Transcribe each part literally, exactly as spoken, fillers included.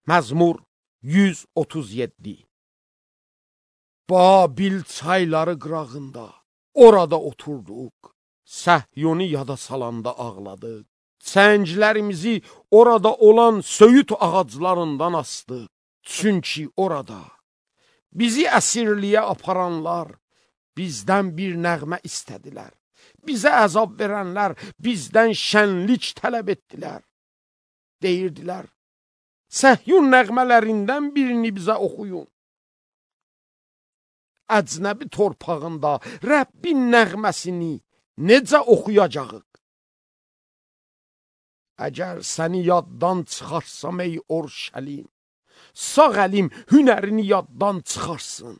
Məzmur yüz otuz yeddi. Babil çayları qırağında, orada oturduq. Səhyoni yada salanda ağladıq. Çənglərimizi orada olan söyüt ağaclarından astıq. Çünki orada bizi əsirliyə aparanlar bizdən bir nəğmə istədilər. Bizə əzab verənlər bizdən şənlik tələb etdilər. Deyirdilər, Səhyun nəğmələrindən birini bizə oxuyun. Əcnəbi torpağında Rəbbin nəğməsini necə oxuyacağıq? Əgər səni yaddan çıxarsam ey Orşəlim, sağ əlim hünərini yaddan çıxarsın.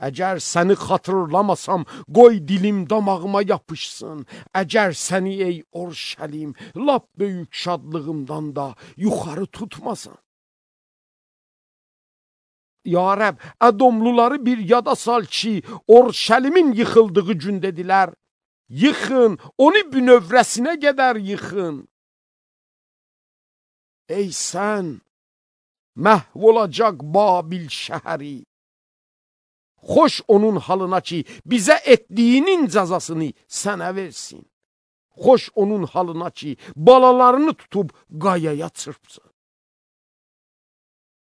Əgər səni xatırlamasam, qoy dilim damağıma yapışsın. Əgər səni ey Orşəlim, lap böyük şadlığımdan da yuxarı tutmasan. Ya Rəbb, Ədomluları bir yada sal ki, Orşəlimin yıxıldığı gün dedilər. Yıxın, onu bünövrəsinə qədər yıxın. Ey sən, məhv olacaq Babil şəhəri. Xoş onun halına ki, bizə etdiyinin cəzasını sənə versin. Xoş onun halına ki, balalarını tutub qayaya çırpsın.